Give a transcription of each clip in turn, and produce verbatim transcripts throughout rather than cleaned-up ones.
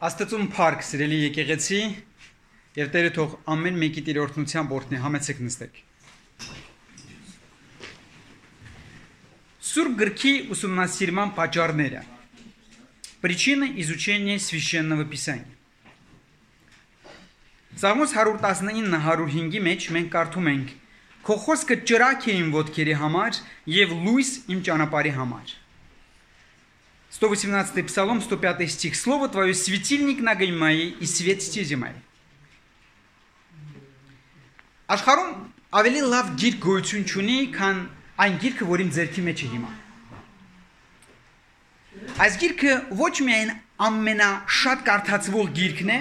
Աստծուն փառք, սիրելի եկեղեցի, եւ Տերը թող ամեն մեկի տիրորդնությամբ օրհնի, համեցեք նստեք։ Սուրբ գրքի ուսումնասիրման պատճառները։ Причины изучения священного писания։ Սաղմոս հարյուր տասնինը հարյուր հինգի մեջ մենք կարդում ենք. Քո խոսքը ճրագ է իմ ոտքերի համար եւ լույս իմ ճանապարհի համար։ сто восемнадцатый Псалом, сто пятый стих. Слово Твое светильник ногам моей и свет стези моей. Աշխարհում ավելի լավ գիրք գոյություն չունի, քան այն գիրքը, որ իմ ձեռքի մեջ է հիմա։ Այս գիրքը ոչ միայն ամենաշատ կարդացվող գիրքն է,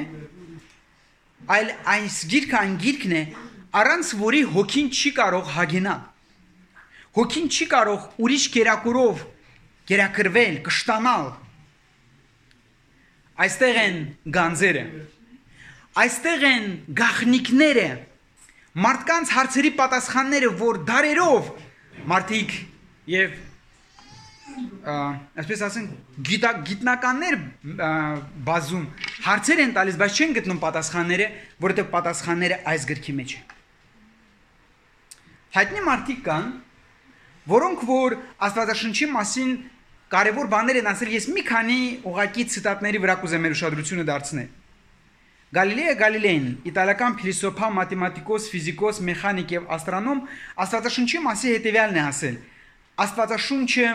այլ այս գիրքը այն գիրքն է, առանց որի հոգին չի կարող հագենալ։ Հոգին չի կարող ուրիշ կերակուրով գերակրվել, կշտանալ։ Այստեղ են գանձերը, այստեղ են գաղտնիքները, մարդկանց հարցերի պատասխանները, որ դարերով մարդիկ եւ այսպես ասենք գիտնականներ բազում հարցեր են տալիս, բայց չեն գտնում պատասխանները, որովհետեւ պատասխանները այս գրքի մեջ են։ Հայտնի մարդիկ կան, որոնք որ Աստվածաշնչի մասին կարևոր բաներ են ասել, ես մի քանի ուղղակի ցիտատների վրա կուզեմ մեր ուշադրությունը դարձնել։ Գալիլեո Գալիլեին, իտալական փիլիսոփա, մաթեմատիկոս, ֆիզիկոս, մեխանիկ եւ աստրոնոմ Աստվածաշնչի մասին հետեւյալն է ասել. Աստվածաշունչը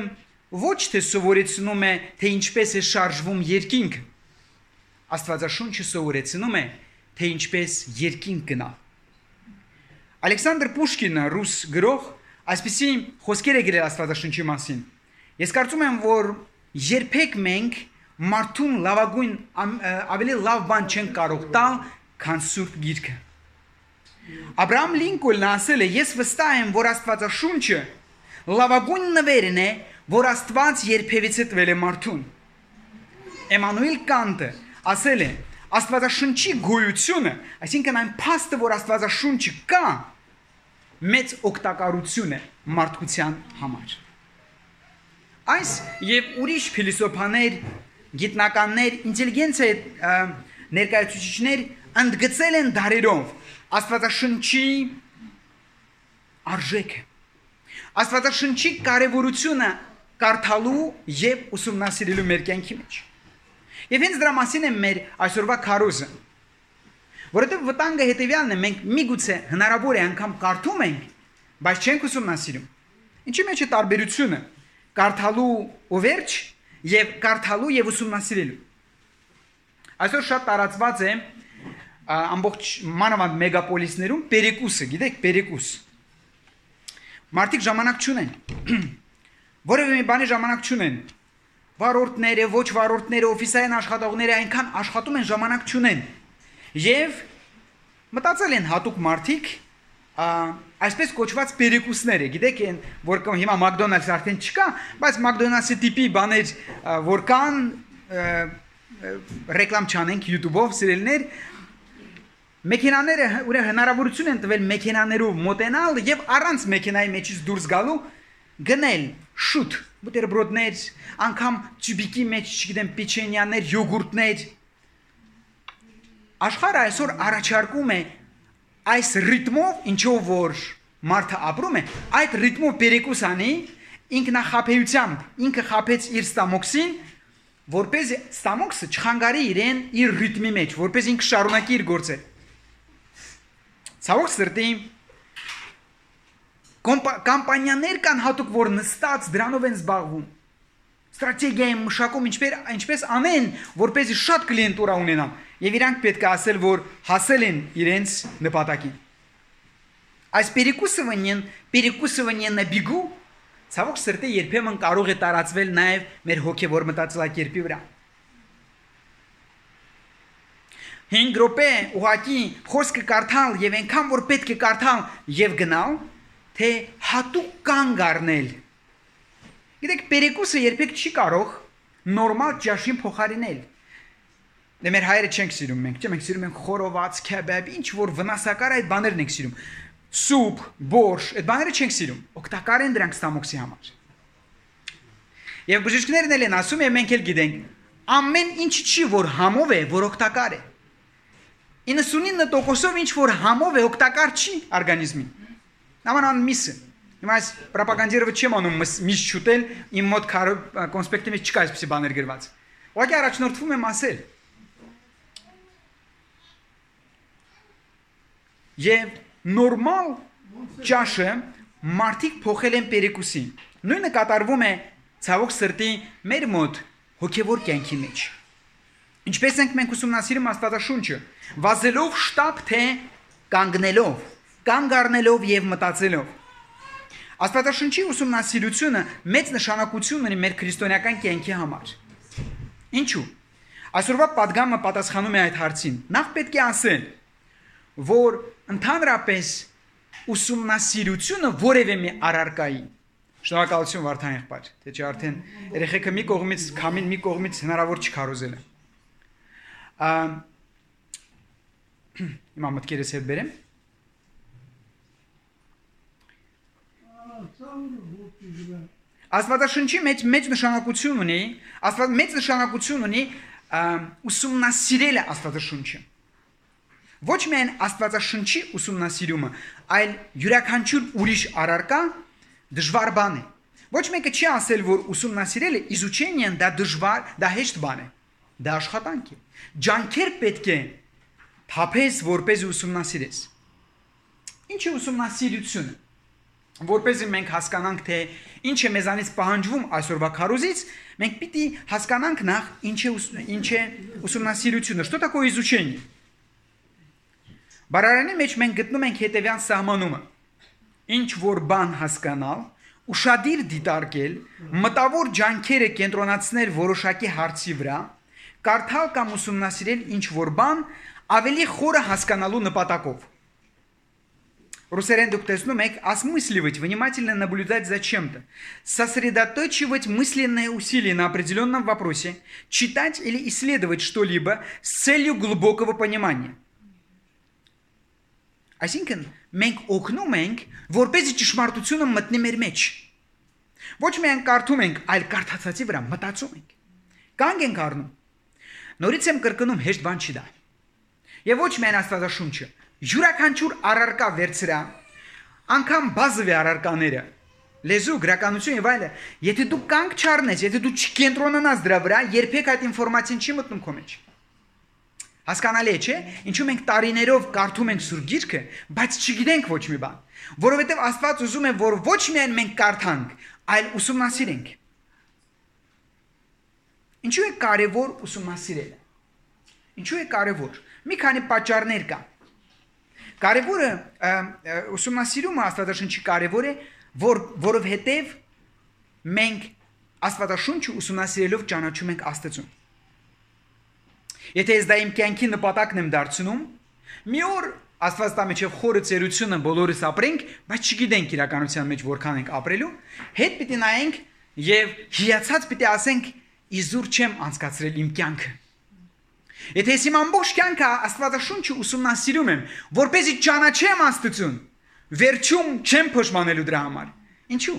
ոչ թե սովորեցնում է, թե ինչպես է շարժվում երկինքը, Աստվածաշունչը սովորեցնում է, թե ինչպես երկինք գնա։ Ալեքսանդր Պուշկինը, ռուս գրող, այսպիսի խոսքեր է գրել Աստվածաշնչի մասին։ Ես կարծում եմ, որ երբեք մենք մարդուն լավագույն ավելի լավ բան չեն կարող տալ, քան Սուրբ Գիրքը։ Աբրահամ Լինկոլնը ասել է. ես վստահ եմ, որ Աստվածաշունչը լավագույն նվերն է, որ Աստված երբևիցե տվել է մարդուն։ Էմանուել Կանտը ասել է. Աստվածաշնչի գոյությունը, այսինքն այն փաստը, որ Աստվածաշունչը կա, մեծ օգտակարություն է մարդկության համար։ Այս եւ ուրիշ փիլիսոփաներ, գիտնականներ, ինտելիգենցիա ներկայացուցիչներ ընդգծել են դարերով Աստվածաշնչի արժեքը, Աստվածաշնչի կարևորությունը կարդալու եւ ուսումնասիրելու մեր կյանքի մեջ։ Եվ հենց դրա մասին է մեր այսօրվա քարոզը, որովհետեւ վտանգը հետեւյալն է, մենք միգուցե հնարավոր է անգամ կարդում ենք, բայց չենք ուսումնասիրում։ Ինչի մեջ է տարբերությունը կարդալու ու վերջ եւ կարդալու եւ ուսումնասիրելու։ Այսօր շատ տարածված է ամբողջ մանավանդ մեգապոլիսներում պերեկուսը, գիտեք, պերեկուս։ Մարդիկ ժամանակ չունեն։ Որևէ մի բանի ժամանակ չունեն։ Վարորդները, ոչ վարորդները, օֆիսային աշխատողները այնքան աշխատում են, ժամանակ չունեն։ Եվ մտածել են հատուկ մարդիկ այսպես կոչված պերեկուսները, գիտեք, որ հիմա Մակդոնալդս արդեն չկա, բայց Մակդոնալդսի տիպի բաներ, որ կան, ռեկլամ չանենք YouTube-ով, սիրելիներ, մեքենաները ուրեմն հնարավորություն են տվել մեքենաներով մոտենալ եւ առանց մեքենայի մեջից դուրս գալու գնել շուտ բուտերբրոդներ, անգամ տյուբիկի մեջ, չգիտեմ, պիչենյաներ, յոգուրտներ։ Աշխարհը այսօր առաջարկում է այս ռիթմով, ինչով որ մարդը ապրում է, այդ ռիթմով պերեկուս անի, ինքնախաբեությամբ, ինքը խաբեց իր ստամոքսին, որպես ստամոքսը չխանգարի իրեն իր ռիթմի մեջ, որպես ինքը շարունակի իր գործը։ Ցավոք սրտի կամպանիաներ կան հատուկ, որ նստած դրանով են զբաղվում։ Ստրատեգիա են մշակում, ինչպես անեն, որպեսզի շատ կլիենտուրա ունենան, եւ իրանք պետք է ասել, որ հասել են իրենց նպատակին։ Այս պերեկուսը վնեն, պերեկուսը վնեն նաբիգու, ցավոք սրտի երբեմն կարող է տարածվել նաեւ մեր հոգեվոր մտածելակերպի վրա։ հինգ րոպե ուղակի խոսքը կարդալ եւ այնքան որ պետք է կարդալ եւ գնալ, թե հատուկ կանգ առնել։ Գիտեք, պերեկուսը երբեք չի կարող նորմալ ճաշին փոխարինել։ Դե մեր հայերը չենք սիրում մենք, չէ՞, մենք սիրում ենք խորոված, քեբաբ, ինչ որ վնասակար այդ բաներն ենք սիրում։ Սուպ, բորշ, այդ բաները չենք սիրում։ Օգտակար են դրանք ստամոքսի համար։ Եվ բժիշկներն էլ են ասում, եւ մենք էլ գիտենք, ամեն ինչ չի, որ համով է, որ օգտակար է։ իննսունինը տոկոսով ինչ որ համով է օգտակար չի օրգանիզմին։ Նամանան միսը։ Հիմա այս ռոպագանդիրը չեմ անում միս շուտել, իմ մոտ կոնսպեկտի մեջ չկա այսպիսի բաներ գրված։ Ուղղակի առաջնորդվում եմ ասել։ Եվ նորմալ ճաշը մարդիկ փոխել են պերեկուսին։ Նույնը կատարվում է ցավոք սրտի մեր մոտ հոգևոր կյանքի մեջ։ Ինչպես ենք մենք ուսումնասիրում Աստվածաշունչը, վազելով շտապ թե կանգնելով, կանգ առնելով եւ մտածելով։ Աստվածաշունչի ուսումնասիրությունը մեծ նշանակություն ունի մեր քրիստոնեական կյանքի համար։ Ինչու՞։ Այսօրվա պատգամը պատասխանում է այդ հարցին։ Նախ պետք է ասել, որ ընդհանրապես ուսումնասիրությունը որևէ մի առարկայի շնորհակալություն Վարդան եղբայր, թե չէ արդեն երեխեքը մի կողմից, քամին մի կողմից հնարավոր չի քարոզել։ Հիմա մտքերս հետ բերեմ։ Աստվածաշնչի մեջ մեծ նշանակություն ունի, Աստված մեծ նշանակություն ունի ուսումնասիրելը Աստվածաշունչը։ Ոչ միայն Աստվածաշնչի ուսումնասիրումը, այլ յուրաքանչյուր ուրիշ առարկա դժվար բան է։ Ոչ մեկը չի ասել, որ ուսումնասիրելը իզուչենիան դա դժվար, դա հեշտ բան է։ Դա աշխատանք է։ Ջանքեր պետք է թափես, որպես ուսումնասիրես։ Ինչ է ուսումնասիրությունը։ Որպեսզի մենք հասկանանք, թե ինչ է մեզանից պահանջվում այսօրվա քարոզից, մենք պիտի հասկանանք նախ ինչ է ինչ է ուսումնասիրությունը, что такое изучение։ Բարարանի մեջ մենք գտնում ենք հետևյալ սահմանումը. ինչ որ բան հասկանալ, ուշադիր դիտարկել, մտավոր ջանքերը կենտրոնացնել որոշակի հարցի вրա, կարդալ կամ ուսումնասիրել ինչ որ бан ավելի խորը հասկանալու նպատակով. Русерен док տեսնում եք, осмысливать, внимательно наблюдать за чем-то, сосредоточивать мысленные усилия на определенном вопросе, читать или исследовать что-либо с целью глубокого понимания. Այսինքն մենք օգնում ենք, որպեսզի ճշմարտությունը մտնի մեր մեջ։ Ոչ միայն կարդում ենք, այլ կարդացածի վրա մտածում ենք։ Կանգ ենք առնում։ Նորից եմ կրկնում, հեշտ բան չի դա։ Եվ ոչ միայն Աստվածաշունչը, յուրաքանչյուր առարկա վերցրա, անգամ բազովի առարկաները, լեզու, գրականություն եւ այլը, եթե դու կանգ չառնես, եթե դու չկենտրոնանաս դրա վրա, երբեք այդ ինֆորմացիան չի մտնում քո մեջ։ Հասկանալի է, չէ՞, ինչու մենք տարիներով կարդում ենք Սուրբ Գիրքը, բայց չգիտենք ոչ մի բան, որովհետև Աստված ուզում է, որ ոչ միայն մենք կարդանք, այլ ուսումնասիրենք։ Ինչու է կարևոր ուսումնասիրելը։ Ինչու է կարևոր։ Մի քանի պատճառներ կա։ Կարևորը ուսումնասիրումը Աստվածաշնչի կարևոր է, որ որովհետև մենք Աստվածաշունչը ուսումնասիրելով ճանաչում ենք Աստծուն։ Եթե ես դա իմ կյանքի նպատակն եմ դարձնում, մի օր Աստված տա միջև խորը ծերությունը բոլորս ապրենք, բայց չգիտենք իրականության մեջ որքան ենք ապրելու, հետ պիտի նայենք եւ հիացած պիտի ասենք իզուր չեմ անցկացրել իմ կյանքը։ Եթե ես իմ ամբողջ կյանքը Աստվածաշունչը ուսումնասիրում եմ, որպեսզի ճանաչեմ Աստծուն, վերջում չեմ փոշմանելու դրա համար։ Ինչու՞։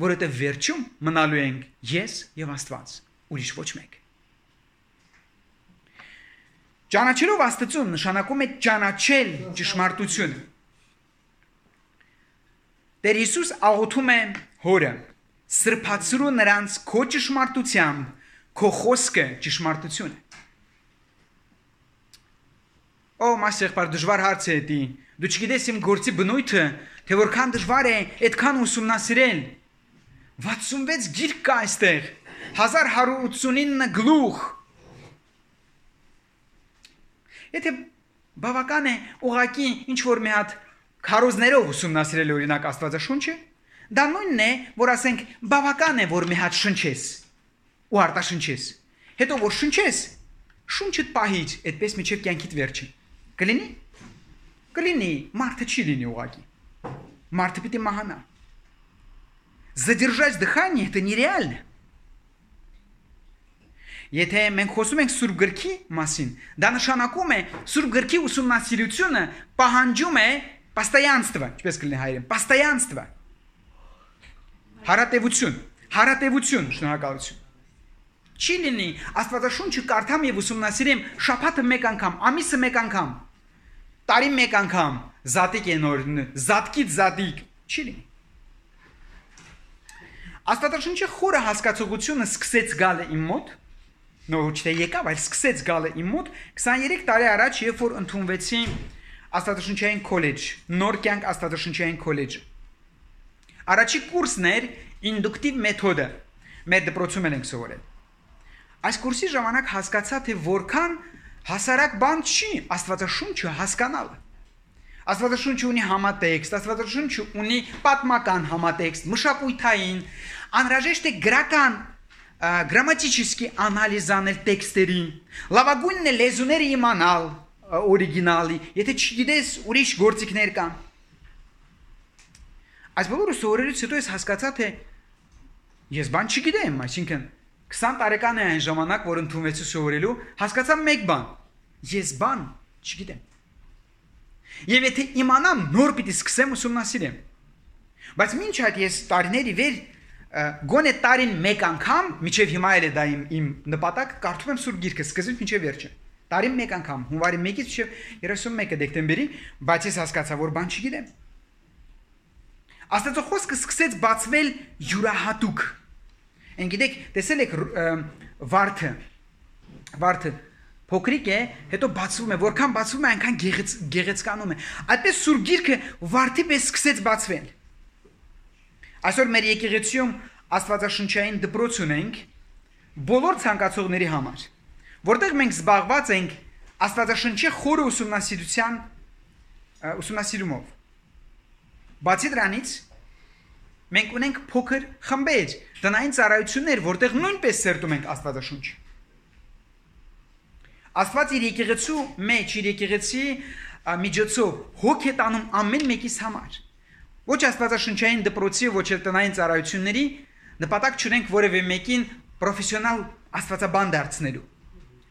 Որովհետեւ վերջում մնալու ենք ես եւ Աստված, ուրիշ ոչ մեկ։ Ճանաչելով Աստծուն նշանակում է ճանաչել ճշմարտությունը։ Տեր Հիսուս աղոթում է Հորը. սրբացրու նրանց քո ճշմարտությամբ, քո խոսքը ճշմարտություն է։ Օ, մասեղբար դժվար հարց է դա։ Դու չգիտես իմ գործի բնույթը, թե որքան դժվար է այդքան ուսումնասիրել։ վաթսունվեց գիրք կա այստեղ, հազար հարյուր ութսունինը գլուխ։ Եթե բավական է ուղակի ինչ որ մի հատ քարոզներով ուսումնասիրել օրինակ Աստվածաշունչը, դա նույնն է, որ ասենք բավական է, որ մի հատ շնչես ու արտաշնչես։ Հետո որ շնչես, շունչդ պահիր, այդպես միջև կյանքիդ վերջը։ Կլինի։ Կլինի, մարդը չի լինի ուղակի։ Մարդը պիտի մահանա։ Задержать дыхание это нереально. Եթե մենք խոսում ենք Սուրբ Գրքի մասին, դա նշանակում է Սուրբ Գրքի ուսումնասիրությունը պահանջում է постоянство, ինչպես կլինի հայերեն, постоянство։ Հարատևություն, հարատևություն, շնորհակալություն։ Չի լինի Աստվածաշունչը կարդամ եւ ուսումնասիրեմ շաբաթը մեկ անգամ, ամիսը մեկ անգամ, տարի մեկ անգամ, զատիկ է նոր, զատկից զատիկ, չի լինի։ Աստվածաշունչի խորը հասկացողությունը սկսեց գալը իմ մոտ, նո ոչ թե եկավ, այլ սկսեց գալը իմ մոտ քսաներեք տարի առաջ, երբ որ ընդունվեցի Աստվածաշունչային քոլեջ, նոր կյանք Աստվածաշունչային քոլեջը։ Առաջի կուրսն էր ինդուկտիվ մեթոդը, մեր դպրոցում ենք սովորել։ Այս կուրսի ժամանակ հասկացա, թե որքան հասարակ բան չի Աստվածաշունչը հասկանալը։ Աստվածաշունչը ունի համատեքստ, Աստվածաշունչը ունի պատմական համատեքստ, մշակութային, անհրաժեշտ է գրական, գրամատический անալիզ անել տեքստերին, լավագույնն է լեզուները իմանալ օրիգինալի, եթե չգիտես ուրիշ գործիքներ կան։ Այս բոլորը սովորելուց հետո ես հասկացա, թե ես բան չգիտեմ, այսինքն քսան տարեկան է այն ժամանակ, որ ընդունվեցի սովորելու, հասկացա մեկ բան, ես բան չգիտեմ։ Եվ եթե իմանամ, նոր պիտի սկսեմ ուսումնասիրեմ։ Բայց մինչ այդ ես տարիների վեր գոնե տարին մեկ անգամ, միջև հիմա էլ է դա իմ, իմ նպատակ, կարդում եմ Սուրբ Գիրքը սկզբից մինչև վերջը։ Տարին մեկ անգամ, հունվարի մեկից մինչև երեսունմեկը դեկտեմբերի, բայց ես հասկացա, որ բան չգիտեմ։ Աստծո խոսքը սկսեց բացվել յուրահատուկ։ Են գիտեք, տեսել եք վարդը, վարդը փոքրիկ է, հետո բացվում է, որքան բացվում է, այնքան գեղեցկանում է։ Այդպես Սուրբ Գիրքը վարդի պես սկսեց բացվել։ Այսօր մեր եկեղեցիում Աստվածաշնչային դպրոց ունենք բոլոր ցանկացողների համար, որտեղ մենք զբաղված ենք Աստվածաշնչի խորը ուսումնասիրության ուսումնասիրումով։ Բացի դրանից մենք ունենք փոքր խմբեր, տնային ծառայություններ, որտեղ նույնպես սերտում ենք Աստվածաշունչը։ Աստված իր եկեղեցու մեջ, իր եկեղեցի միջոցով հոգ է տանում ամեն մեկիս համար։ Ոչ Աստվածաշնչային դպրոցի, ոչ էլ տնային ծառայությունների նպատակ չունենք որևէ մեկին պրոֆեսիոնալ աստվածաբան դարձնելու։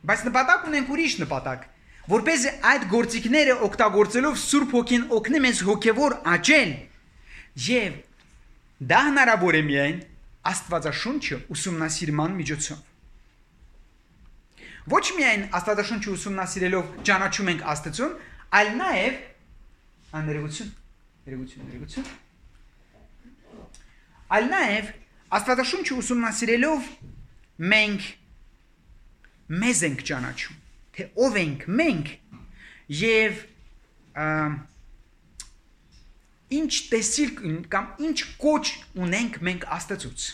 Բայց նպատակ ունենք ուրիշ նպատակ, որպեսզի այդ գործիքները օգտագործելով Սուրբ Հոգին օգնի մեզ հոգևոր աճել եւ դա հնարավոր է միայն Աստվածաշունչը ուսումնասիրման միջոցով։ Ոչ միայն Աստվածաշունչը ուսումնասիրելով ճանաչում ենք Աստծուն, այլ նաեւ աներևություն, ներևություն, ներևություն։ Այլ նաեւ Աստվածաշունչը ուսումնասիրելով մենք մեզ ենք ճանաչում, թե ով ենք մենք եւ ինչ տեսիլ կամ ինչ կոչ ունենք մենք Աստծուց։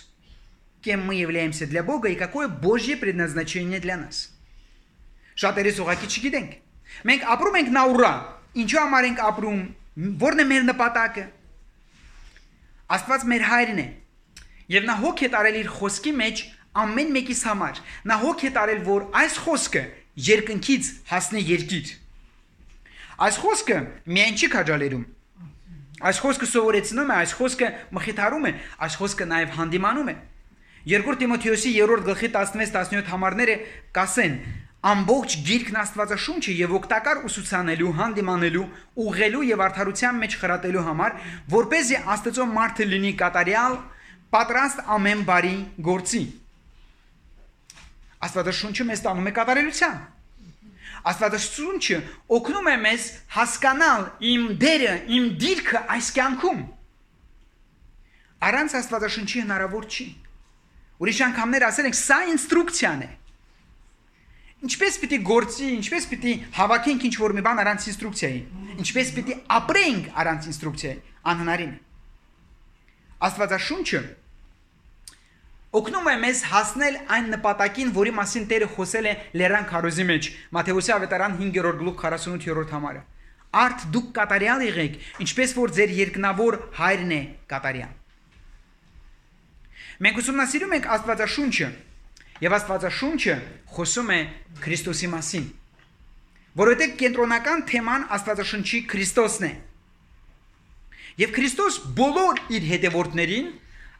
Кем мы являемся для Бога и какое Божье предназначение для нас։ Շատերս ուղղակի չգիտենք։ Մենք ապրում ենք նա ուրա, ինչու համար ենք ապրում, որն է մեր նպատակը։ Աստված մեր հայրն է, եւ նա հոգ է տարել իր խոսքի մեջ ամեն մեկիս համար։ Նա հոգ է տարել, որ այս խոսքը երկնքից հասնի երկիր։ Այս խոսքը միայն չի քաջալերում։ Այս խոսքը սովորեցնում է, այս խոսքը մխիթարում է, այս խոսքը նաեւ հանդիմանում է։ Երկրորդ Տիմոթեոսի երրորդ գլխի տասնվեց տասնյոթ համարները կասեն. ամբողջ գիրքն Աստվածաշունչը եւ օգտակար ուսուցանելու, հանդիմանելու, ուղղելու եւ արդարության մեջ խրատելու համար, որպեսզի Աստծո մարդը լինի կատարյալ, պատրաստ ամեն բարի գործի։ Աստվածաշունչը մեզ տանում է կատարելության։ Աստվածաշունչը օգնում է մեզ հասկանալ իմ դերը, իմ դիրքը այս կյանքում։ Առանց Աստվածաշունչի հնարավոր չի։ Ուրիշ անգամներ ասել ենք, սա ինստրուկցիան է։ Ինչպես պիտի գործի, ինչպես պիտի հավաքենք ինչ-որ մի բան առանց ինստրուկցիայի, ինչպես պիտի ապրենք առանց ինստրուկցիայի, անհնարին է։ Աստվածաշունչը օգնում է մեզ հասնել այն նպատակին, որի մասին Տերը խոսել է Լեռան քարոզի մեջ, Մատթեոսի ավետարան հինգերորդ գլուխ քառասունութերորդ համարը։ Արդ դուք կատարյալ եղեք, ինչպես որ ձեր երկնավոր հայրն է կատարյալ։ Մենք ուսումնասիրում ենք Աստվածաշունչը, եւ Աստվածաշունչը խոսում է Քրիստոսի մասին, որովհետեւ կենտրոնական թեման Աստվածաշունչի Քրիստոսն է։ Եվ Քրիստոս բոլոր իր հետևորդներին,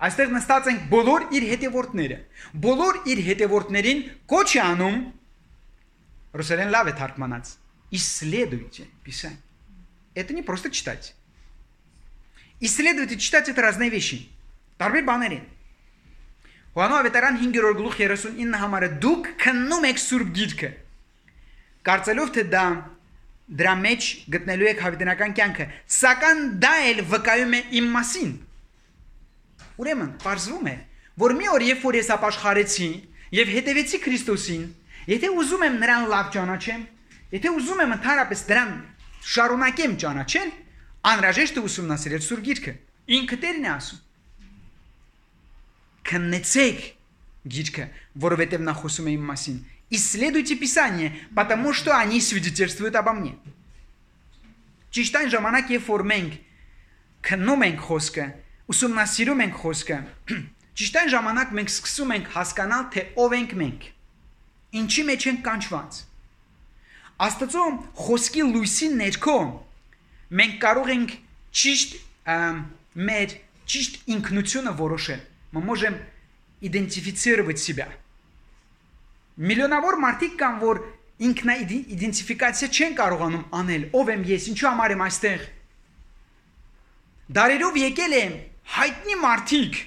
այստեղ նստած ենք բոլոր իր հետևորդները, բոլոր իր հետևորդներին կոչ է անում, ռուսերեն լավ է թարգմանած, исследуйте Писание. Это не просто читать. Исследуйте, читать это разные вещи. Տարբեր բաներ են։ Հովաննես ավետարան հինգերորդ գլուխ երեսունինը համարը դուք քննում եք Սուրբ Գիրքը, կարծելով թե դա դրա մեջ գտնելու եք հավիտենական կյանքը, սակայն դա էլ վկայում է իմ մասին։ Ուրեմն, պարզվում է, որ մի օր երբ որ ես ապաշխարեցի եւ հետևեցի Քրիստոսին, եթե ուզում եմ նրան լավ ճանաչեմ, եթե ուզում եմ ընդհանրապես դրան շարունակեմ ճանաչել, անհրաժեշտ է ուսումնասիրել Սուրբ Գիրքը։ Ինքը Տերն է ասում. Քննեցեք Գիրքը, որովհետև նա խոսում է իմ մասին. Исследуйте Писание, потому что они свидетельствуют обо мне. Ճիշտ այն ժամանակ, երբ որ մենք քննում ենք խոսքը, ուսումնասիրում ենք խոսքը, ճիշտ այն ժամանակ մենք սկսում ենք հասկանալ, թե ով ենք մենք, ինչի մեջ ենք կանչված։ Աստծո խոսքի լույսի ներքո մենք կարող ենք ճիշտ մեր ճիշտ ինքնությունը որոշել։ Мы можем идентифицировать себя. Միլիոնավոր մարդիկ կան, որ ինքնաիդենտիֆիկացիա չեն կարողանում անել, ով եմ ես, ինչու համար եմ այստեղ։ Դարերով եկել են հայտնի մարդիկ,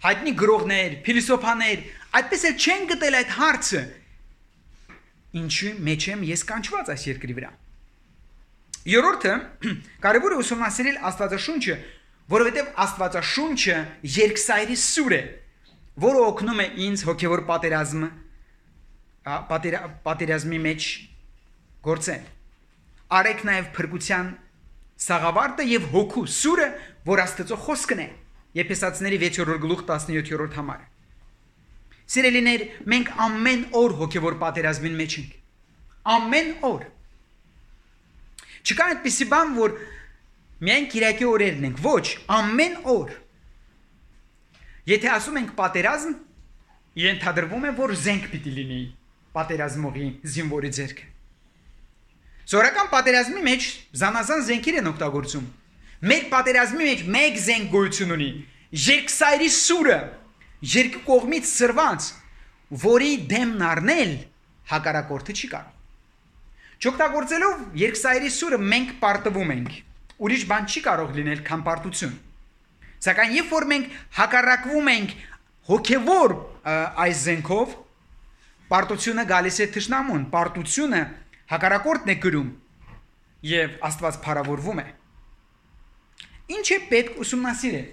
հայտնի գրողներ, փիլիսոփաներ, այդպես էլ չեն գտել այդ հարցը, ինչու մեջ եմ ես կանչված այս երկրի վրա։ Երրորդը, կարևոր է ուսումնասիրել Աստվածաշունչը, որովհետև Աստվածաշունչը երկսայրի սուր է, որը օգնում է ինձ հոգևոր պատերազմը պատերազմի մեջ գործել։ Արեք նաև փրկության սաղավարտը եւ հոգու սուրը, որ Աստծո խոսքն է։ Եփեսացիների վեցերորդ գլուխ տասնյոթերորդ համարը։ Սիրելիներ, մենք ամեն օր հոգևոր պատերազմին մեջ ենք։ Ամեն օր։ Չկա այդպիսի բան, որ միայն Կիրակի օրերն ենք, ոչ, ամեն օր։ Եթե ասում ենք պատերազմ, ենթադրվում է, որ զենք պիտի լինի պատերազմողի զինվորի ձեռքը։ Սովորական պատերազմի մեջ զանազան զենքեր են օգտագործում։ Մեր պատերազմի մեջ մեկ զենք գոյություն ունի՝ երկսայրի սուրը, երկու կողմից սրված, որի դեմն առնել հակառակորդը չի կարող։ Չօգտագործելով երկսայրի սուրը մենք պարտվում ենք։ Ուրիշ բան չի կարող լինել քան պարտություն։ Սակայն երբ որ մենք հակառակվում ենք հոգևոր այս զենքով, պարտությունը գալիս է թշնամուն, պարտությունը հակառակորդն է գրում եւ Աստված փառավորվում է։ Ինչ է պետք ուսումնասիրել։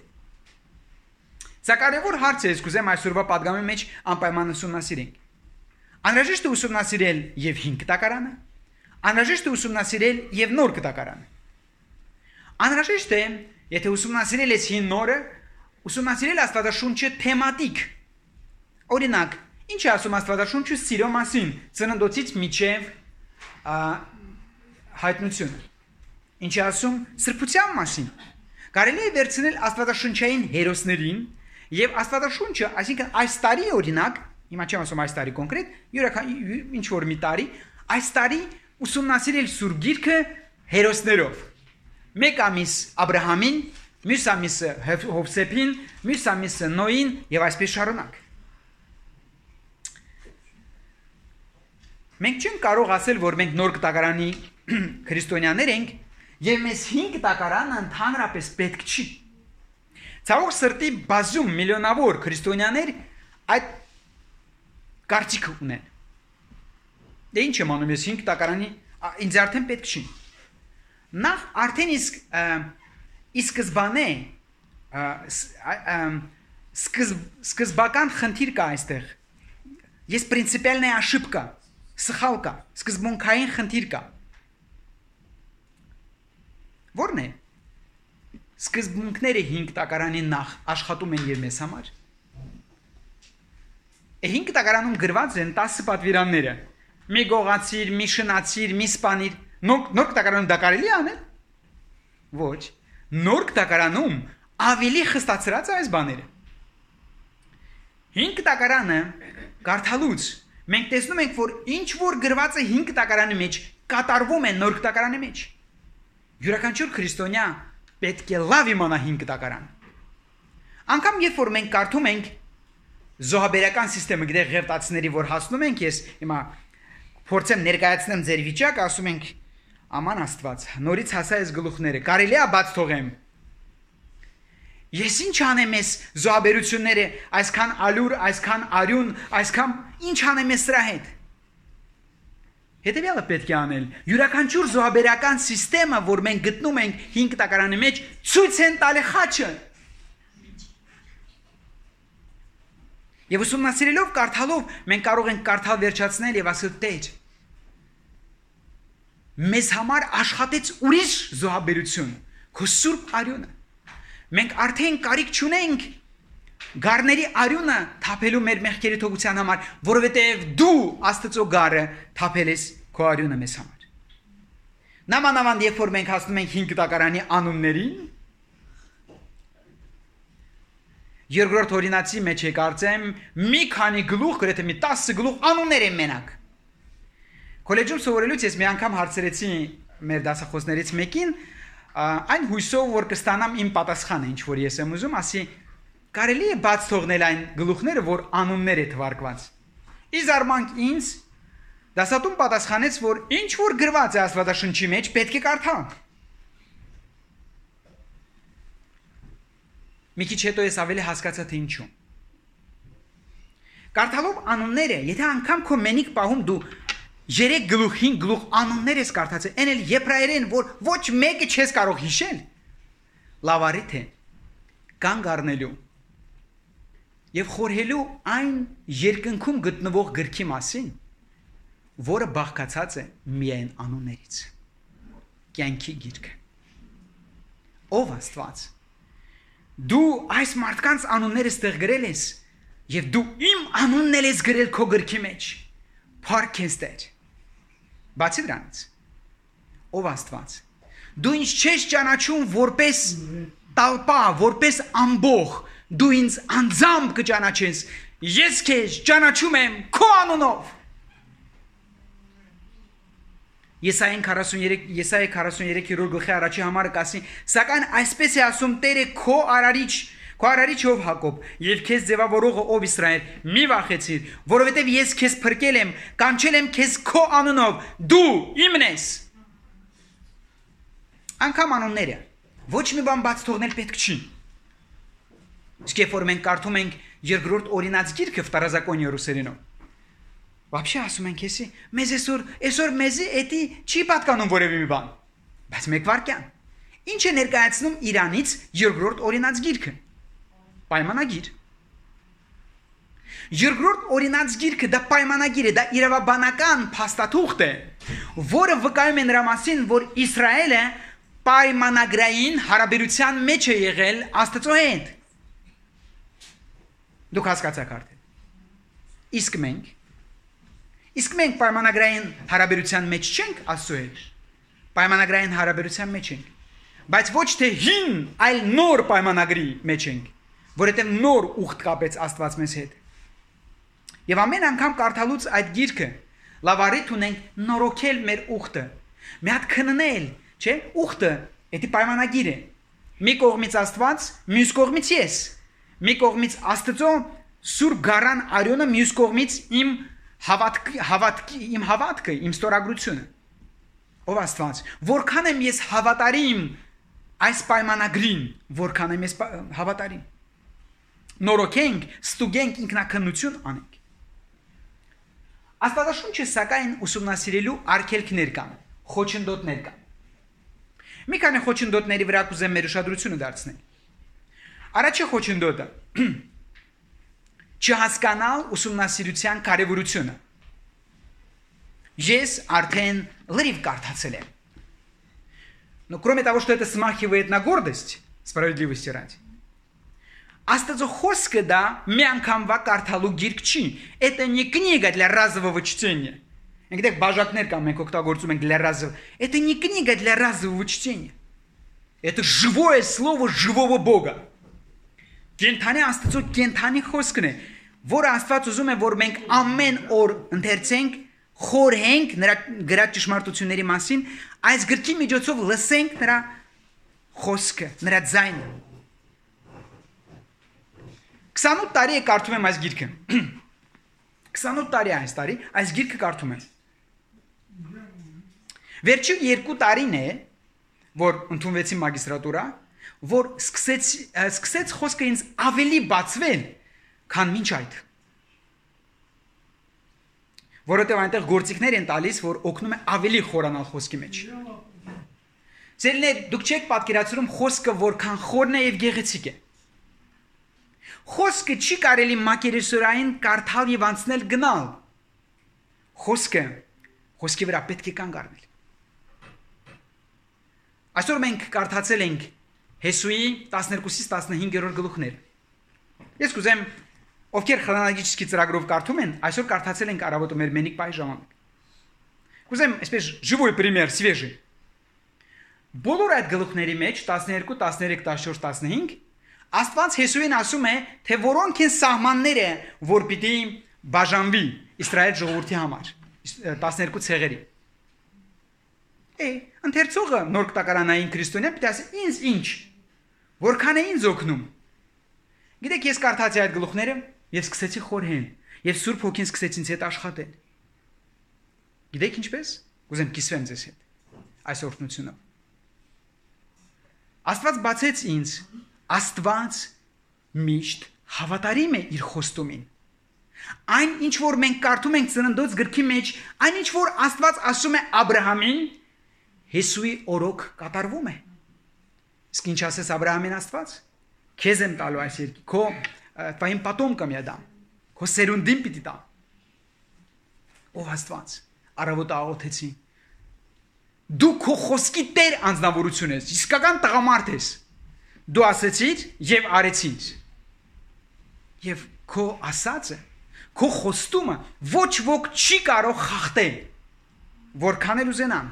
Սա կարևոր հարց է, ես կուզեմ այսօրվա պատգամի մեջ անպայման ուսումնասիրենք։ Անհրաժեշտ է ուսումնասիրել եւ հին կտակարանը, անհրաժեշտ է ուսումնասիրել եւ նոր կտակարանը։ Անհրաժեշտ է, եթե ուսումնասիրել ես հին նորը, ուսումնասիրել Աստվածաշունչը թեմատիկ։ Օրինակ, ինչ է ասում Աստվածաշունչը սիրո մասին, ծննդոցից մինչև հայտնությունը։ Ինչ է ասում սրբության մասին։ Կարելի է վերցնել Աստվածաշունչային հերոսներին եւ Աստվածաշունչը, այսինքն այս տարի օրինակ, հիմա չեմ ասում այս տարի կոնկրետ, յուրաքանչյուր ինչ որ մի տարի, այս տարի ուսումնասիրել Սուրբ Գիրքը հերոսներով։ Մեկ ամիս Աբրահամին, մյուս ամիսը Հովսեփին, մյուս ամիսը Նոյին եւ այսպես շարունակ։ Մենք չենք կարող ասել, որ մենք նոր կտակարանի քրիստոնյաներ ենք եւ մեզ հին կտակարանը ընդհանրապես պետք չի։ Ցավոք սրտի բազում միլիոնավոր քրիստոնյաներ այդ կարծիքը ունեն։ Դե ինչ եմ անում ես հին կտակարանի, ինձ արդեն պետք չի։ Նախ արդեն իսկ սկզբանե սկզբական խնդիր կա այստեղ։ Ես պրինցիպիալնե ошибка, սխալ կա, սկզբունքային խնդիր կա։ Որն է։ Սկզբունքները հին կտակարանի նախ աշխատում են եւ մեզ համար։ Հին կտակարանում գրված են տասը պատվիրանները։ Մի գողացիր, մի շնացիր, մի սպանիր։ Նոր կտակարանում դա կարելի է անել։ Ոչ, նոր կտակարանում ավելի խստացրած է այս բաները։ Հին կտակարանը կարդալուց մենք տեսնում ենք, որ ինչ որ գրված է հին կտակարանի մեջ, կատարվում է նոր կտակարանի մեջ։ Յուրաքանչյուր քրիստոնյա պետք է լավ իմանա հին կտակարանը։ Անկամ երբ որ մենք կարդում ենք զոհաբերական համակարգը գտեղ ղևտացիների, որ հասնում ենք, ես հիմա փորձեմ ներկայացնեմ ձեր վիճակը, ասում ենք Աման Աստված, նորից հասա այս գլուխները, կարելի է բաց թողեմ։ Ես ինչ անեմ ես զոհաբերությունները, այսքան ալյուր, այսքան արյուն, այսքան ինչ անեմ ես սրա հետ։ Հետևյալը պետք է անել։ Յուրաքանչյուր զոհաբերական համակարգը, որ մենք գտնում ենք հինգ տակարանի մեջ, ցույց են տալի խաչը։ Եվ ուսումնասիրելով, կարդալով, մենք կարող ենք կարդալ վերջացնել եւ ասել Տեր։ Մեզ համար աշխատեց ուրիշ զոհաբերություն, քո սուրբ արյունը։ Մենք արդեն կարիք չունենք գառների արյունը թափելու մեր մեղքերի թողության համար, որովհետև դու Աստծո գառը թափել ես քո արյունը մեզ համար։ Նամանավանդ երբ որ մենք հասնում ենք հինգ տակարանի անուններին, երկրորդ օրինացի մեջ է կարծեմ մի քանի գլուխ, գրեթե մի տասը գլուխ անուններ են մենակ։ Կոլեջում սովորելուց ես մի անգամ հարցրեցի մեր դասախոսներից մեկին, այն հույսով որ կստանամ իմ պատասխանը, ինչ որ ես եմ ուզում, ասի կարելի է բաց թողնել այն գլուխները, որ անուններ է թվարկված։ Ի զարմանք ինձ դասատուն պատասխանեց, որ ինչ որ գրված է Աստվածաշնչի մեջ, պետք է կարդալ։ Մի քիչ հետո ես ավելի հասկացա թե ինչու։ Կարդալով անունները, եթե անգամ քո մենիկ պահում դու երեք գլուխ, հինգ գլուխ անուններ ես կարդացել, այն էլ եբրայերեն, որ ոչ մեկը չես կարող հիշել, լավ արիթ է կանգ առնելու եւ խորհելու այն երկնքում գտնվող գրքի մասին, որը բաղկացած է միայն անուններից։ Կյանքի գիրքը։ Ով Աստված։ Դու այս մարդկանց անունները ստեղ գրել ես եւ դու իմ անունն ես գրել քո գրքի մեջ։ Փառք ես Տեր։ Բացի դրանից, ով Աստված, դու ինձ չես ճանաչում որպես տալպա, որպես ամբող, դու ինձ անձամբ կճանաչես, ես քեզ ճանաչում եմ քո անունով։ Եսայեն քառասուներեք գլխի առաջի համարը կասի, սակայն այսպես է ասում Տերը քո արարիչ, քո արարիչով Հակոբ, եւ քեզ ձևավորողը ով Իսրայել, մի վախեցիր, որովհետեւ ես քեզ փրկել եմ, կանչել եմ քեզ քո անունով, դու իմն ես։ Անկամ անունները ոչ մի բան բաց թողնել պետք չի։ Իսկ երբ որ մենք կարդում ենք երկրորդ օրինաց գիրքը վտարազակոնի ռուսերենով, вообще ասում ենք էսի, մեզ այսօր, այսօր մեզի էդի չի պատկանում որևէ մի բան, բայց մեկ վարքյան։ Ինչ է ներկայացնում Իրանից երկրորդ օրինաց գիրքը։ Պայմանագիր։ Երկրորդ օրինաց գիրքը դա պայմանագիր է, դա իրավաբանական փաստաթուղթ է, որը վկայում է նրա մասին, որ Իսրայելը պայմանագրային հարաբերության մեջ է եղել Աստծո հետ։ Դուք հասկացաք արդեն։ Իսկ մենք Իսկ մենք պայմանագրային հարաբերության մեջ չենք Աստծո հետ։ Պայմանագրային հարաբերության մեջ ենք, բայց ոչ թե հին, այլ նոր պայմանագրի մեջ ենք, որովհետև նոր ուխտ կապեց Աստված մեզ հետ։ Եվ ամեն անգամ կարդալուց այդ գիրքը լավ առիթ ունենք նորոգել մեր ուխտը, մի հատ քննել, չէ՞, ուխտը դա պայմանագիր է։ Մի կողմից Աստված, մյուս կողմից ես։ Մի կողմից Աստծո սուրբ գառան արյունը, մյուս կողմից իմ հավատքի, հավատքի, իմ հավատքը, իմ ստորագրությունը։ Ով Աստված, որքան եմ ես հավատարիմ այս պայմանագրին, որքան եմ ես հավատարիմ։ Նորոգենք, ստուգենք, ինքնակնություն անենք։ Աստվածաշունչը սակայն ուսումնասիրելու արգելքներ կան, խոչընդոտներ կան։ Մի քանի խոչընդոտների վրա կուզեմ մեր ուշադրությունը դարձնել։ Առաջի խոչընդոտը չհասկանալ ուսումնասիրության կարևորությունը։ Ես արդեն լրիվ կարդացել եմ. Но кроме того, что это смахивает на гордость, справедливости ради, Աստծո խոսքը դա մի անգամվա կարդալու գիրք չի։ Это не книга для разового чтения. Այնտեղ բաժակներ կան, մենք օգտագործում ենք для разового. Это не книга для разового чтения. Это живое слово живого Бога. Կենթանի Աստծո կենթանի խոսքն է, որը Աստված ուզում է, որ մենք ամեն օր ընթերցենք, խորհենք նրա գրած ճշմարտությունների մասին, այս գրքի միջոցով լսենք նրա խոսքը, նրա ձայնը։ քսանութ տարի է կարդում եմ այս գիրքը։ քսանութ տարի է այս տարի, այս գիրքը կարդում եմ։ Վերջին երկու տարին է, որ ընդունվեցի մագիստրատուրա, որ սկսեց սկսեց խոսքը ինձ ավելի բացվել, քան մինչ այդ։ Որովհետև այնտեղ գործիքներ են տալիս, որ օգնում է ավելի խորանալ խոսքի մեջ։ Ձերներ, դուք չեք պատկերացնում խոսքը որքան խորն է եւ գեղեցիկ է։ Խոսքը չի կարելի մակերեսորային կարդալ եւ անցնել գնալ։ Խոսքը խոսքի վրա պետք է կանգ առնել։ Այսօր մենք կարդացել ենք Հեսուի տասներկուսից տասնհինգերորդ գլուխները։ Ես կուզեմ, ովքեր խրոնոլոգիչի ծրագրով կարդում են, այսօր կարդացել ենք առավոտը մեր մենիկ բայ ժամանակ։ Կուզեմ, այսպես живой пример, свежий։ Բոլոր այդ գլուխների մեջ տասներկու, տասներեք, տասնչորս, տասնհինգ Աստված Հեսուին ասում է, թե որոնք են սահմանները, որ պիտի բաժանվի Իսրայել ժողովրդի համար, տասներկու ցեղերի։ Է, ընթերցողը նոր կտակարանային քրիստոնյա պիտի ասի, ինձ ինչ, որքան է ինձ օգնում։ Գիտեք, ես կարդացի այդ գլուխները եւ սկսեցի խորհել, եւ Սուրբ Հոգին սկսեց ինձ հետ աշխատել։ Գիտեք ինչպես։ Կուզեմ կիսվեմ ձեզ հետ այս օրհնությունով։ Աստված բացեց ինձ, Աստված միշտ հավատարիմ է իր խոստումին։ Այն ինչ որ մենք կարդում ենք Ծննդոց գրքի մեջ, այն ինչ որ Աստված ասում է Աբ รา համին, Հեսուի օրոք կատարվում է։ Իսկ ինչ ասես Աբ รา համին Աստված։ Քեզ եմ տալու այս երկի, քո твоим потомкам я дам, քո սերունդին պիտի տամ։ Ով Աստված, առավոտը աղոթեցի։ Դու քո խոսքի տեր անձնավորություն ես, իսկական տղամարդ ես։ Դու ասեցիր եւ արեցիր։ Եվ քո ասածը, քո խոստումը ոչ ոք չի կարող խախտել, որքան էլ ուզենան։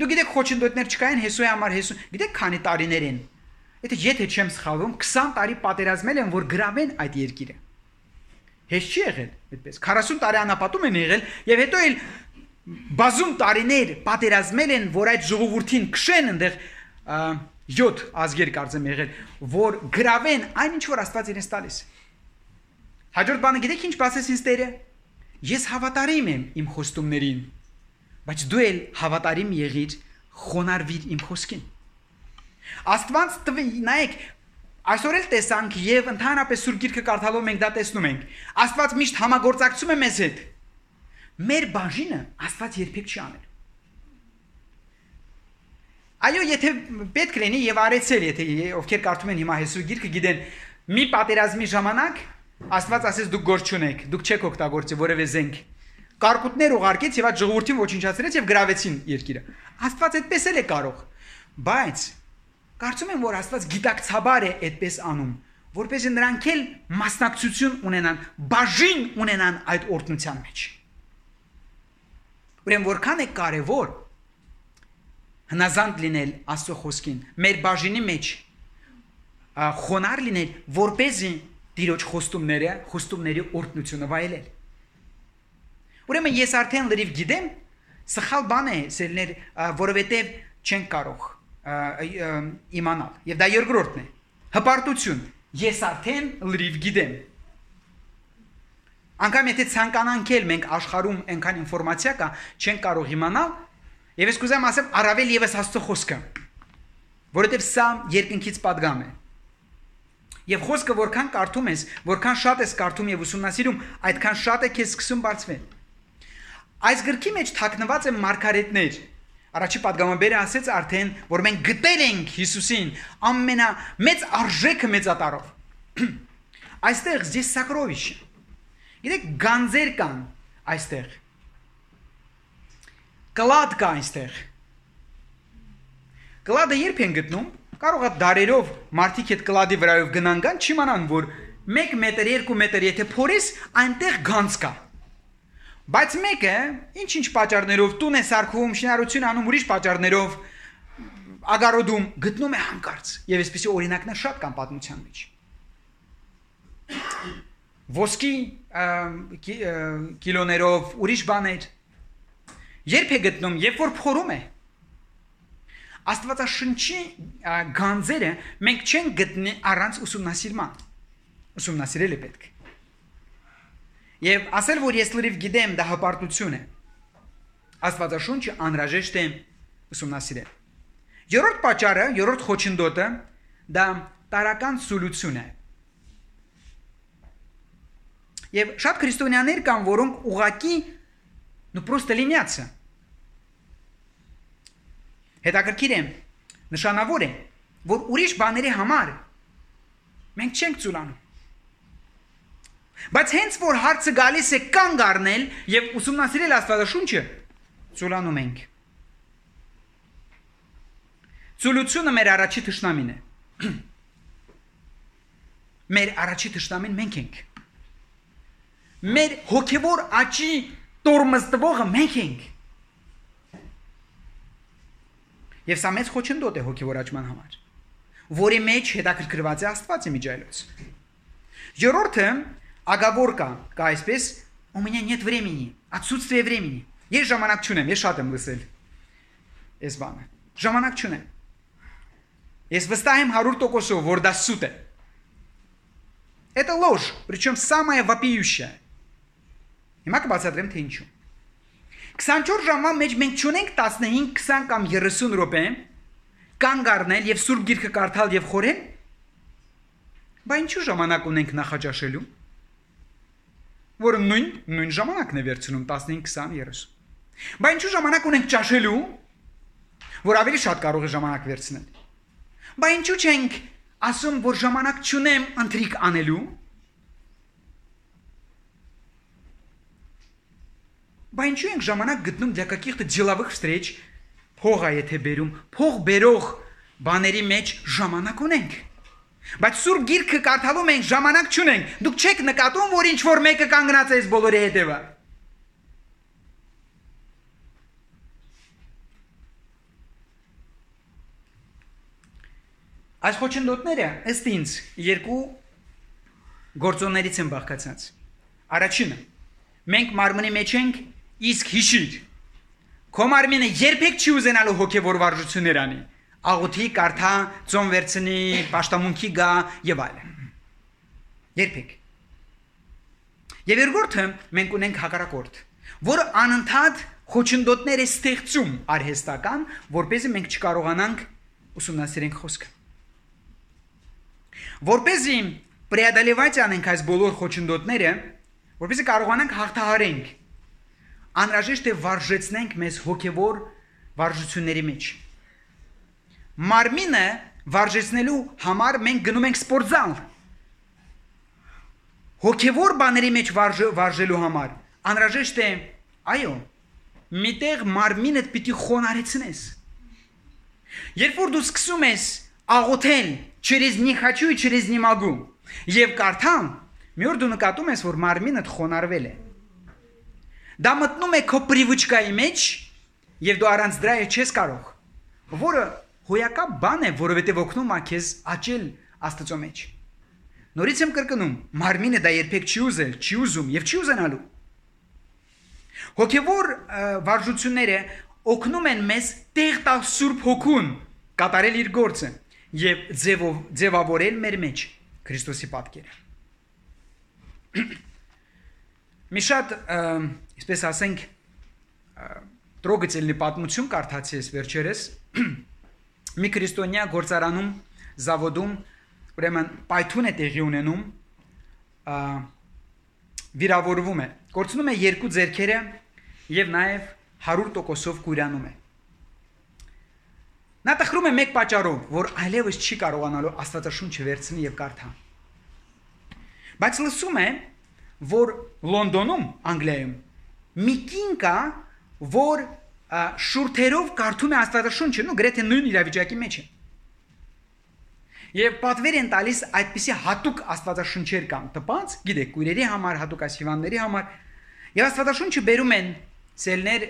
Դու գիտեք խոչընդոտներ չկային Հեսուի համար, Հեսու, գիտեք քանի տարիներ են։ Եթե եթե չեմ սխալվում, քսան տարի պատերազմել են, որ գրավեն այդ երկիրը։ Հեշտ չի եղել այդպես։ քառասուն տարի անապատում են եղել եւ հետո էլ բազում տարիներ պատերազմել են, որ այդ ժողովրդին քշեն այնտեղ յոթ ազգեր կարծեմ եղել, որ գրավեն այն ինչ որ Աստված իրենց տալիս։ Հաջորդ բանը գիտեք ինչ բացեց ինձ Տերը։ Ես հավատարիմ եմ իմ խոստումներին, բայց դու էլ հավատարիմ եղիր, խոնարհվիր իմ խոսքին։ Աստված տվի, նայեք, այսօր էլ տեսանք եւ ընդհանրապես Սուրբ Գիրքը կարդալով մենք դա տեսնում ենք։ Աստված միշտ համագործակցում է մեզ հետ։ Մեր բաժինը Աստված երբեք չի անել։ Այո, եթե պետք լինի եւ արեցել, եթե ովքեր կարդում են հիմա Հեսուի Գիրքը գիտեն, մի պատերազմի ժամանակ Աստված ասեց դուք գործ չունեք, դուք չեք օգտագործի որևէ զենք։ Կարկուտներ ուղարկեց եւ այդ ժողովրդին ոչնչացրեց եւ գրավեցին երկիրը։ Աստված այդպես էլ է կարող։ Բայց կարծում եմ, որ Աստված գիտակցաբար է այդպես անում, որպեսզի նրանք էլ մասնակցություն ունենան, բաժին ունենան այդ օրհնության մեջ։ Ուրեմն որքան է կարևոր հնազանդ լինել Աստծո խոսքին, մեր բաժինի մեջ խոնար լինել, որպեսզի Տիրոջ խոստումները, խոստումների օրհնությունը վայելել։ Ուրեմն ես արդեն լրիվ գիտեմ, սխալ բան է, սերներ, որովհետև չեն կարող իմանալ։ Եվ դա երկրորդն է։ Հպարտություն։ Ես արդեն լրիվ գիտեմ։ Անկամ եթե ցանկանանք էլ մենք աշխարհում այնքան ինֆորմացիա կա, չեն կարող իմանալ, եւ ես կուզեմ ասեմ առավել եւս Աստծո խոսքը, որովհետեւ սա երկնքից պատգամ է։ Եվ խոսքը որքան կարդում ես, որքան շատ ես կարդում եւ ուսումնասիրում, այդքան շատ է քեզ սկսում բարձվել։ Այս գրքի մեջ թաքնված են մարգարետներ։ Առաջի падգամաբերը ասեց արդեն, որ մենք գտել ենք Հիսուսին ամենամեծ արժեքը մեծատարով։ Այստեղ здесь сокровище։ Գիտեք, գանձեր կան այստեղ։ Կլադ կա այստեղ։ Կլադը երբ են գտնում, կարող է դարերով մարդիկ այդ կլադի վրայով գնան գան, չիմանան, որ մեկ մետր, երկու մետր եթե փորես, այնտեղ գանձ կա։ Բայց մեկը ինչ-ինչ պատճառներով տուն է սարքում, շինարարություն անում ուրիշ պատճառներով ագարոդում գտնում է հանկարծ։ Եվ այսպեսի օրինակներ շատ կան պատմության մեջ։ Ոսկի կիլոներով ուրիշ բաներ։ Երբ է գտնում, երբ որ փորում է։ Աստվածաշնչի գանձերը մենք չենք գտնի առանց ուսումնասիրման։ Ուսումնասիրել է պետք։ Եվ ասել, որ ես լրիվ գիտեմ, դա հպարտություն է։ Աստվածաշունչը անհրաժեշտ է ուսումնասիրել։ Երրորդ պատճառը, երրորդ խոչընդոտը դա տարական սոլյուցիոն է։ Եվ շատ քրիստոնյաներ կան, որոնք ուղակի նու պրոստը լինյացը։ Հետաքրքիր է, նշանավոր է, որ ուրիշ բաների համար մենք չենք ծուլանում։ Բայց հենց որ հարցը գալիս է կանգ առնել եւ ուսումնասիրել Աստվածաշունչը, ծուլանում ենք։ Ծուլությունը մեր առաջի թշնամին է։ Մեր առաջի թշնամին մենք ենք։ Մեր հոգևոր աճի տորմզտվողը մենք ենք։ Եվ սա մեծ խոչընդոտ է հոգևոր աճման համար, որի մեջ հետաքրքրված է Աստված իմիջայլոց։ Երրորդը ագավոր կա, կա այսպես, у меня нет времени, отсутствие времени։ Ես ժամանակ չունեմ, ես շատ եմ լսել։ Այս բանը։ Ժամանակ չունեմ։ Ես վստահ եմ հարյուր տոկոսով, որ դա սուտ է։ Это ложь, причем самая вопиющая։ Հիմա կբացատրեմ թե ինչու։ քսանչորս ժամվա մեջ մենք չունենք տասնհինգ, քսան կամ երեսուն րոպե կանգ առնել եւ Սուրբ Գիրքը կարդալ եւ խորհել։ Բա ինչու ժամանակ ունենք նախաճաշելու։ Որը նույն նույն ժամանակն է վերցնում տասնհինգ, քսան, երեսուն։ Բա ինչու ժամանակ ունենք ճաշելու, որ ավելի շատ կարող է ժամանակ վերցնել։ Բա ինչու չենք ասում, որ ժամանակ չունեմ ընթրիք անելու։ Բա ինչու ենք ժամանակ գտնում для каких-то деловых встреч, փող է եթե բերում, փող բերող բաների մեջ ժամանակ ունենք։ Բայց Սուրբ Գիրքը կարդալու մենք ժամանակ չունենք։ Դուք չեք նկատում, որ ինչ որ մեկը կանգնած է այս բոլորի հետևը։ Այս խոչընդոտները ըստ ինձ երկու գործոններից են բաղկացած։ Առաջինը, մենք մարմնի մեջ ենք, իսկ հիշիր, քո մարմինը երբեք չի ուզենալու հոգևոր վարժություններ անի, աղոթի, կարդա, ծոմ վերցնի, պաշտամունքի գա եւ այլն։ Երբեք։ Եվ երկրորդը մենք ունենք հակառակորդ, որը անընդհատ խոչընդոտներ է ստեղծում արհեստական, որպեսզի մենք չկարողանանք ուսումնասիրենք խոսքը։ Որպեսզի преодолевать անենք այս բոլոր խոչընդոտները, որպեսզի կարողանանք հաղթահարենք, անհրաժեշտ է վարժեցնենք մեզ հոգևոր վարժությունների մեջ։ Մարմինը վարժեցնելու համար մենք գնում ենք սպորտզալ։ Հոգևոր բաների մեջ վարժելու համար անհրաժեշտ է, այո, միտեղ մարմինդ պիտի խոնարհեցնես։ Երբ որ դու սկսում ես աղոթել через не хочу и через не могу, եւ կարդալ, մի օր դու նկատում ես, որ մարմինդ խոնարհվել է։ Դա մտնում է քո պրիվուչկայի մեջ եւ դու առանց դրա չես կարող, որը հոյակապ բան է, որովհետեւ օգնում է քեզ աճել Աստծո մեջ։ Նորից եմ կրկնում, մարմինը դա երբեք չի ուզել, չի ուզում եւ չի ուզենալու։ Հոգևոր վարժությունները օգնում են մեզ տեղ տալ Սուրբ Հոգուն կատարել իր գործը եւ ձևավորել մեր մեջ Քրիստոսի պատկերը։ Մի շատ, այսպես ասենք, տրոգեցելնի պատմություն կարդացի ես վերջերս, մի քրիստոնյա գործարանում, զավոդում, ուրեմն պայթուն է տեղի ունենում, վիրավորվում է, կորցնում է երկու ձեռքերը եւ նաեւ հարյուր տոկոսով կուրանում է։ Նա տխրում է մեկ պատճառով, որ այլևս չի կարողանալու Աստվածաշունչը վերցնել եւ կարդալ։ Բայց լսում է, որ Լոնդոնում, Անգլիայում մի կին կա, որ շուրթերով կարդում է Աստվածաշունչը, ու գրեթե նույն իրավիճակի մեջ է։ Եվ պատվեր են տալիս այդպիսի հատուկ Աստվածաշունչեր կան տպած, գիտեք, քույրերի համար, հատուկ ասիվանների համար, եւ Աստվածաշունչը բերում են ցելներ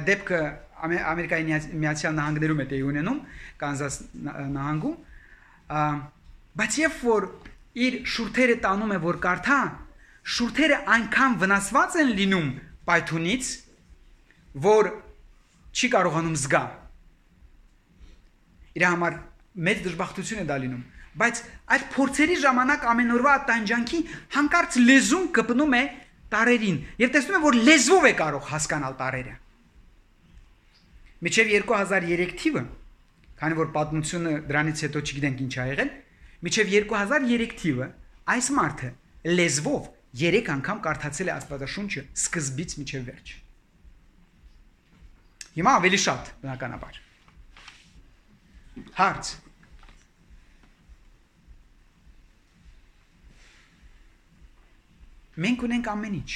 դեպքը Ամերիկայի Միացյալ Նահանգներում է տեղի ունենում, Կանզաս նահանգում, բայց երբ որ իր շուրթերը տանում է, որ կարդա, շուրթերը այնքան վնասված են լինում պայթունից, որ չի կարողանում զգա։ Իր համար մեծ դժբախտություն է դա լինում, բայց այդ փորձերի ժամանակ ամենօրվա տանջանքի հանկարծ լեզուն կպնում է տարերին, եւ տեսնում է, որ լեզվով է կարող հասկանալ տարերը։ Միջև երկու հազար երեք թիվը, քանի որ պատմությունը դրանից հետո չգիտենք ինչ ա եղել, մինչև երկու հազար երեք թիվը այս մարդը լեզվով երեք անգամ կարդացել է Աստվածաշունչը սկզբից մինչև վերջ։ Հիմա ավելի շատ, բնականաբար։ Հարց. Մենք ունենք ամեն ինչ։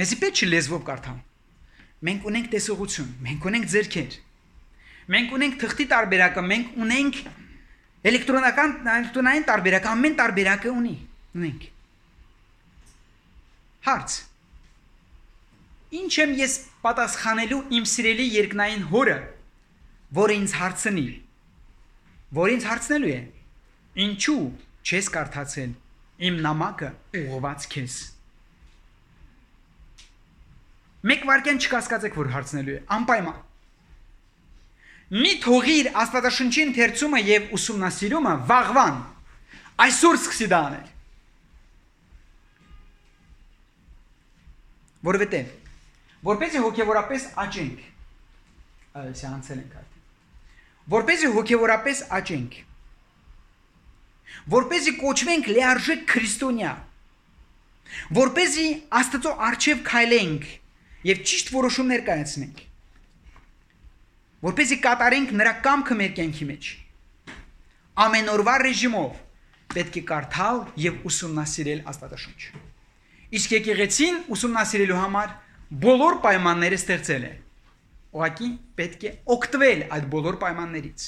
Մեզի պետք չի լեզվով կարդալ։ Մենք ունենք տեսողություն, մենք ունենք ձեռքեր։ Մենք ունենք թղթի տարբերակը, մենք ունենք էլեկտրոնական էլեկտրոնային տարբերակը, ամեն տարբերակը ունի, ունենք։ Հարց. Ինչ եմ ես պատասխանելու իմ սիրելի երկնային հորը, որը ինձ հարցնի, որ ինձ հարցնելու է, ինչու չես կարդացել իմ նամակը ուղղված քեզ։ Մեկ վարքյան չկասկածեք, որ հարցնելու է, անպայման։ Մի թողիր Աստվածաշնչի ընթերցումը եւ ուսումնասիրումը վաղվան, այսօր սկսի դա անել։ Որովհետեւ որպեսզի հոգեվորապես աճենք, այսի անցել ենք այդ։ Որպեսզի հոգեվորապես աճենք, որպեսզի կոչվենք լիարժեք քրիստոնյա, որպեսզի Աստծո առջև քայլենք եւ ճիշտ որոշումներ կայացնենք, որպեսզի կատարենք նրա կամքը մեր կյանքի մեջ, ամեն օրվա ռեժիմով պետք է կարդալ եւ ուսումնասիրել Աստվածաշունչը։ Իսկ եկեղեցին ուսումնասիրելու համար բոլոր պայմանները ստեղծել է։ Ուղղակի պետք է օգտվել այդ բոլոր պայմաններից։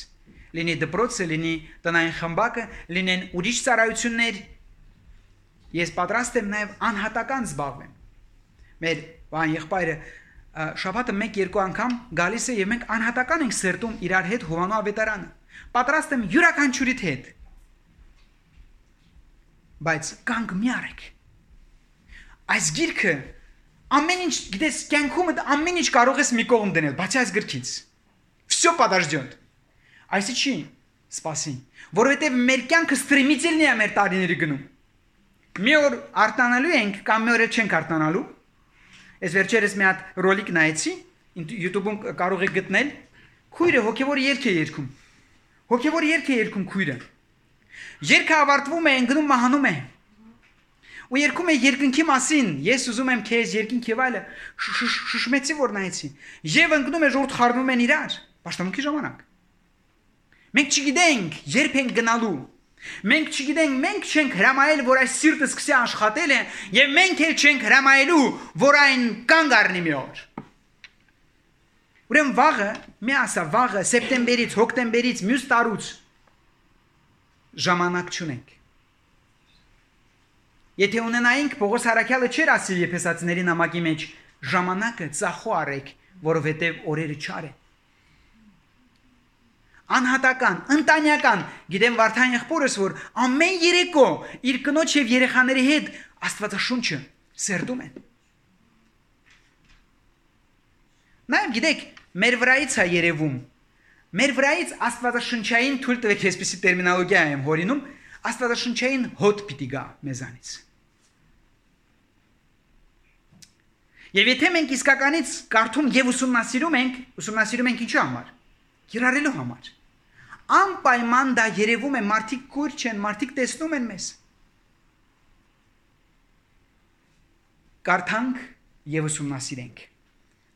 Լինի դպրոցը, լինի տնային խմբակը, լինեն ուրիշ ծառայություններ։ Ես պատրաստ եմ նաև անհատական զբաղվեմ։ Մեր բան եղբայրը շաբաթը մեկ-երկու անգամ գալիս է եւ մենք անհատական ենք սերտում իրար հետ Հովանու ավետարանը։ Պատրաստ եմ յուրաքանչյուրիդ հետ։ Բայց կանգ մի արեք։ Այս գիրքը ամեն ինչ, գիտես, կյանքումդ ամեն ինչ կարող ես մի կողմ դնել, բացի այս գրքից։ Всё подождёт։ Այսի չի, սպասի, որովհետև մեր կյանքը ստրիմիցելն է մեր տարիների գնում։ Մի օր արտանալու ենք, կամ մի օր չենք արտանալու։ Ես վերջերս մի հատ ռոլիկ նայեցի, YouTube-ում կարող եք գտնել, քույրը հոգևոր երգ է երգում։ Հոգևոր երգ է երգում քույրը։ Երգը ավարտվում է, ընկնում մահանում է։ Ու երգում է երկնքի մասին, ես ուզում եմ քեզ երկինք եւ այլը, շշմեցի որ նայեցի։ Եվ ընկնում է ժողովուրդ խառնում են իրար, պաշտամունքի ժամանակ։ Մենք չգիտենք երբ ենք գնալու։ Մենք չգիտենք, մենք չենք հրամայել, որ այս սիրտը սկսի աշխատել է, եւ մենք էլ չենք հրամայելու, որ այն կանգ առնի մի օր։ Ուրեմն վաղը, մի ասա, վաղը սեպտեմբերից, հոկտեմբերից, մյուս տարուց ժամանակ չունենք։ Եթե ունենայինք, Պողոս Հարաքյալը չէր ասի Եփեսացիների նամակի մեջ, ժամանակը ծախո արեք, որովհետև օրերը չար են։ Անհատական, ընտանեկան, գիտեմ Վարդան եղբորս, որ ամեն երեկո իր կնոջ եւ երեխաների հետ Աստվածաշունչը սերտում են։ Նաեւ գիտեք, մեր վրայից է երևում։ Մեր վրայից Աստվածաշնչային թույլ տվեք, այսպիսի տերմինոլոգիա եմ հորինում, Աստվածաշնչային հոտ պիտի գա մեզանից։ Եվ եթե մենք իսկականից կարդում եւ ուսումնասիրում ենք, ուսումնասիրում ենք ինչու համար։ Կիրառելու համար։ Անպայման դա երևում է, մարդիկ կուր չեն, մարդիկ տեսնում են մեզ։ Կարդանք եւ ուսումնասիրենք։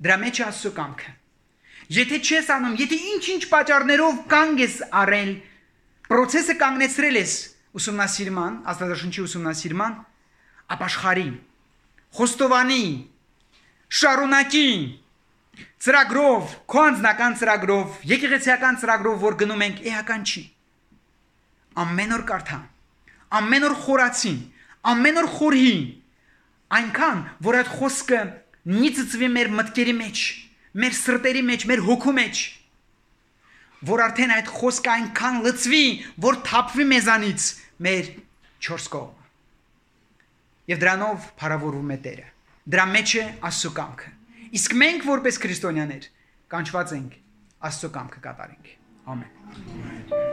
Դրա մեջ է Աստծո կամքը։ Եթե չես անում, եթե ինչ-ինչ պատճառներով կանգ ես առել, process-ը կանգնեցրել ես ուսումնասիրման, Աստվածաշունչի ուսումնասիրման, ապաշխարի, խոստովանի, շարունակի, ծրագրով, քո անձնական ծրագրով, եկեղեցիական ծրագրով, որ գնում ենք, էական չի։ Ամեն օր կարդա, ամեն օր խորացի, ամեն օր խորհի, այնքան, որ այդ խոսքը նիծծվի մեր մտքերի մեջ, մեր սրտերի մեջ, մեր հոգու մեջ, որ արդեն այդ խոսքը այնքան լծվի, որ թափվի մեզանից մեր չորս կողմը։ Եվ դրանով փառավորվում է Տերը։ Դրա մեջ է Աստծո կամքը։ Իսկ մենք որպես քրիստոնյաներ կանչված ենք Աստծո կամքը կատարենք։ Ամեն։